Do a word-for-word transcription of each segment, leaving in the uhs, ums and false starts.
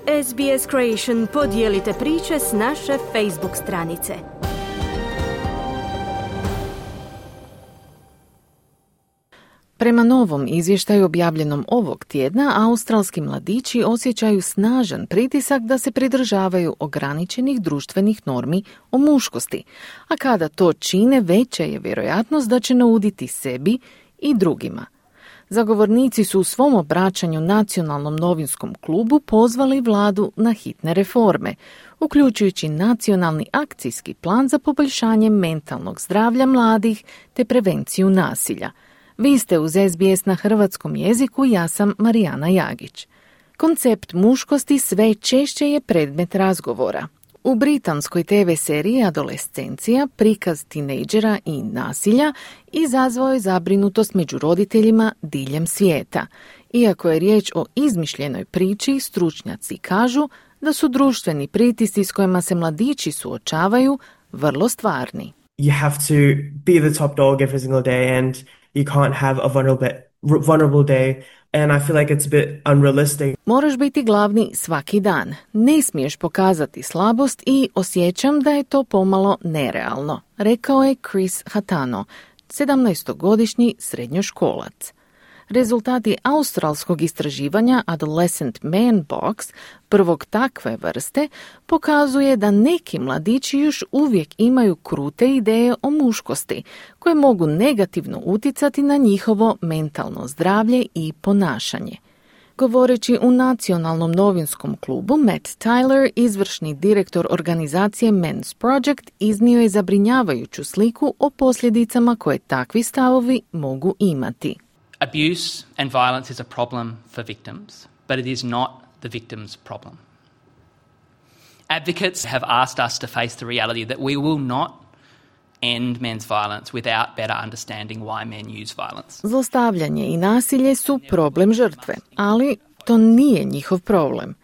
S B S Creation podijelite priče s naše Facebook stranice. Prema novom izvještaju objavljenom ovog tjedna, australski mladići osjećaju snažan pritisak da se pridržavaju ograničenih društvenih normi o muškosti, a kada to čine, veća je vjerojatnost da će nauditi sebi i drugima. Zagovornici su u svom obraćanju Nacionalnom novinskom klubu pozvali vladu na hitne reforme, uključujući nacionalni akcijski plan za poboljšanje mentalnog zdravlja mladih te prevenciju nasilja. Vi ste uz S B S na hrvatskom jeziku, ja sam Marijana Jagić. Koncept muškosti sve češće je predmet razgovora. U britanskoj te ve seriji Adolescencija prikaz tinejdžera i nasilja izazvao je zabrinutost među roditeljima diljem svijeta. Iako je riječ o izmišljenoj priči, stručnjaci kažu da su društveni pritisci s kojima se mladići suočavaju vrlo stvarni. You have to be the top dog every single day and you can't have a vulnerable, vulnerable day. And I feel like it's a bit unrealistic. Moraš biti glavni svaki dan. Ne smiješ pokazati slabost i osjećam da je to pomalo nerealno, rekao je Chris Hatano, sedamnaestogodišnji srednjoškolac. Rezultati australskog istraživanja Adolescent Man Box, prvog takve vrste, pokazuje da neki mladići još uvijek imaju krute ideje o muškosti, koje mogu negativno utjecati na njihovo mentalno zdravlje i ponašanje. Govoreći u Nacionalnom novinskom klubu, Matt Tyler, izvršni direktor organizacije Men's Project, iznio je zabrinjavajuću sliku o posljedicama koje takvi stavovi mogu imati. Abuse and violence is a problem for victims, but it is not the victim's problem. Advocates have asked us to face the reality that we will not end men's violence without better understanding why men use violence. Zlostavljanje i nasilje su problem žrtve, ali to nije njihov problem.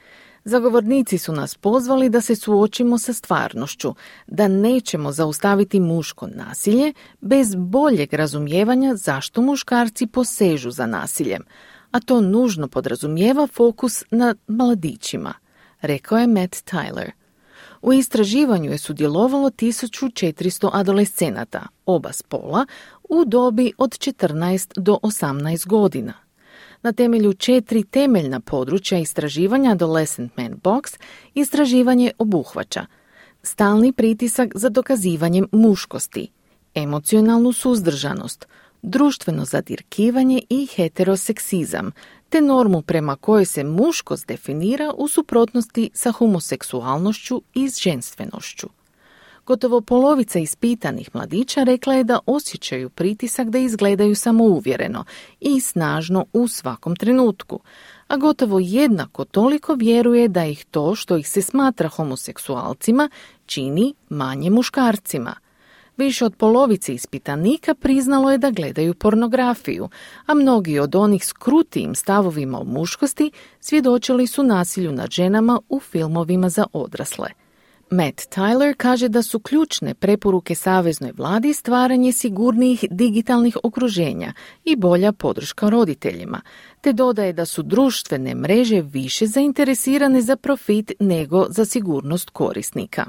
Zagovornici su nas pozvali da se suočimo sa stvarnošću, da nećemo zaustaviti muško nasilje bez boljeg razumijevanja zašto muškarci posežu za nasiljem, a to nužno podrazumijeva fokus na mladićima, rekao je Matt Tyler. U istraživanju je sudjelovalo tisuću četiristo adolescenata, oba spola, u dobi od četrnaest do osamnaest godina. Na temelju četiri temeljna područja istraživanja Adolescent Man Box istraživanje obuhvaća stalni pritisak za dokazivanjem muškosti, emocionalnu suzdržanost, društveno zadirkivanje i heteroseksizam, te normu prema kojoj se muškost definira u suprotnosti sa homoseksualnošću i ženstvenošću. Gotovo polovica ispitanih mladića rekla je da osjećaju pritisak da izgledaju samouvjereno i snažno u svakom trenutku, a gotovo jednako toliko vjeruje da ih to što ih se smatra homoseksualcima čini manje muškarcima. Više od polovice ispitanika priznalo je da gledaju pornografiju, a mnogi od onih s krutijim stavovima o muškosti svjedočili su nasilju nad ženama u filmovima za odrasle. Matt Tyler kaže da su ključne preporuke saveznoj vladi stvaranje sigurnijih digitalnih okruženja i bolja podrška roditeljima, te dodaje da su društvene mreže više zainteresirane za profit nego za sigurnost korisnika.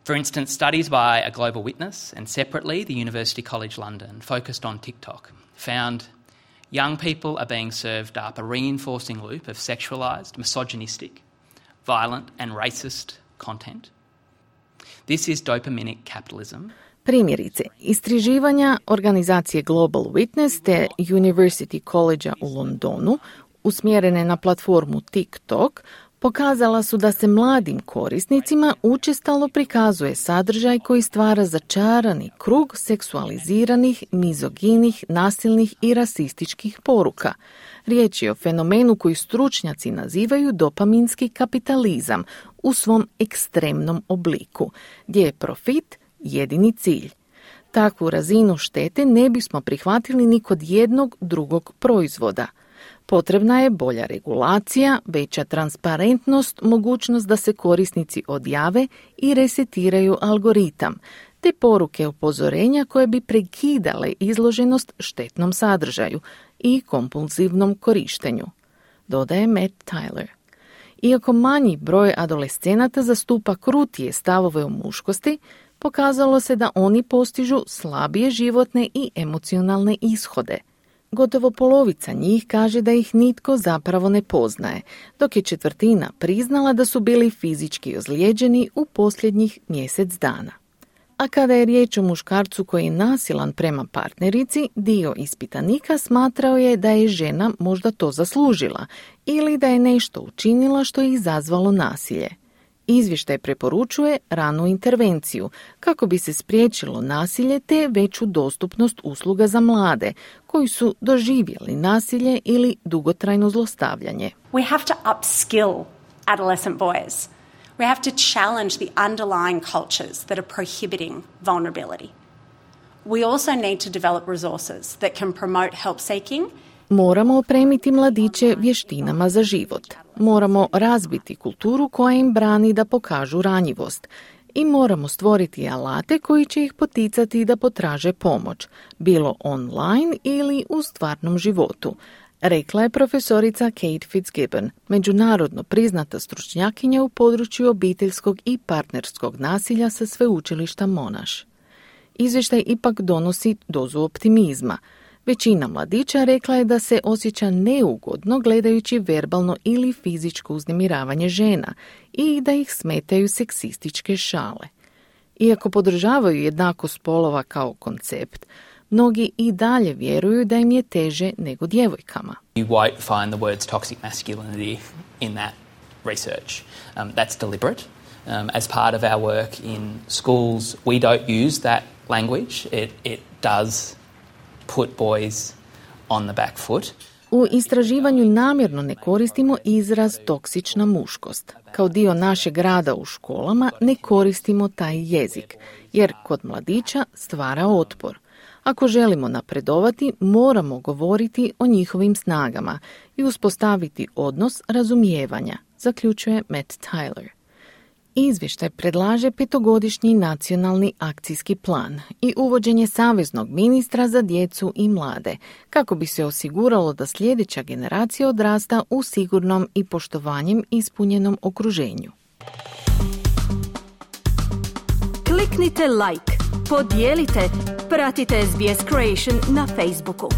For instance, studies by A Global Witness and separately the University College London focused on TikTok found young people are being served up a reinforcing loop of sexualized, misogynistic, violent and racist content. This is dopaminic capitalism. Primjerice, istraživanja organizacije Global Witness te University College u Londonu, usmjerene na platformu TikTok, pokazala su da se mladim korisnicima učestalo prikazuje sadržaj koji stvara začarani krug seksualiziranih, mizoginih, nasilnih i rasističkih poruka. Riječ je o fenomenu koji stručnjaci nazivaju dopaminski kapitalizam u svom ekstremnom obliku, gdje je profit jedini cilj. Takvu razinu štete ne bismo prihvatili ni kod jednog drugog proizvoda. Potrebna je bolja regulacija, veća transparentnost, mogućnost da se korisnici odjave i resetiraju algoritam, te poruke upozorenja koje bi prekidale izloženost štetnom sadržaju i kompulzivnom korištenju, dodaje Matt Tyler. Iako manji broj adolescenata zastupa krutije stavove o muškosti, pokazalo se da oni postižu slabije životne i emocionalne ishode. Gotovo polovica njih kaže da ih nitko zapravo ne poznaje, dok je četvrtina priznala da su bili fizički ozlijeđeni u posljednjih mjesec dana. A kada je riječ o muškarcu koji je nasilan prema partnerici, dio ispitanika smatrao je da je žena možda to zaslužila ili da je nešto učinila što je izazvalo nasilje. Izvještaj preporučuje ranu intervenciju kako bi se spriječilo nasilje te veću dostupnost usluga za mlade koji su doživjeli nasilje ili dugotrajno zlostavljanje. We have to upskill adolescent boys. We have to challenge the underlying cultures that are prohibiting vulnerability. We also need to develop resources that can promote help seeking. Moramo opremiti mladiće vještinama za život. Moramo razbiti kulturu koja im brani da pokažu ranjivost. I moramo stvoriti alate koji će ih poticati da potraže pomoć, bilo online ili u stvarnom životu, rekla je profesorica Kate Fitzgibbon, međunarodno priznata stručnjakinja u području obiteljskog i partnerskog nasilja sa sveučilišta Monash. Izvještaj ipak donosi dozu optimizma. Većina mladića rekla je da se osjeća neugodno gledajući verbalno ili fizičko uznemiravanje žena i da ih smetaju seksističke šale. Iako podržavaju jednakost spolova kao koncept, mnogi i dalje vjeruju da im je teže nego djevojkama. You won't find the words toxic masculinity in that research. Um, that's deliberate. Um, as part of our work in schools, we don't use that language. It, it does put boys on the back foot. U istraživanju namjerno ne koristimo izraz toksična muškost. Kao dio našeg rada u školama ne koristimo taj jezik, jer kod mladića stvara otpor. Ako želimo napredovati, moramo govoriti o njihovim snagama i uspostaviti odnos razumijevanja, zaključuje Matt Tyler. Izvještaj predlaže petogodišnji nacionalni akcijski plan i uvođenje saveznog ministra za djecu i mlade, kako bi se osiguralo da sljedeća generacija odrasta u sigurnom i poštovanjem ispunjenom okruženju. Kliknite like, podijelite, pratite S B S Creation na Facebooku.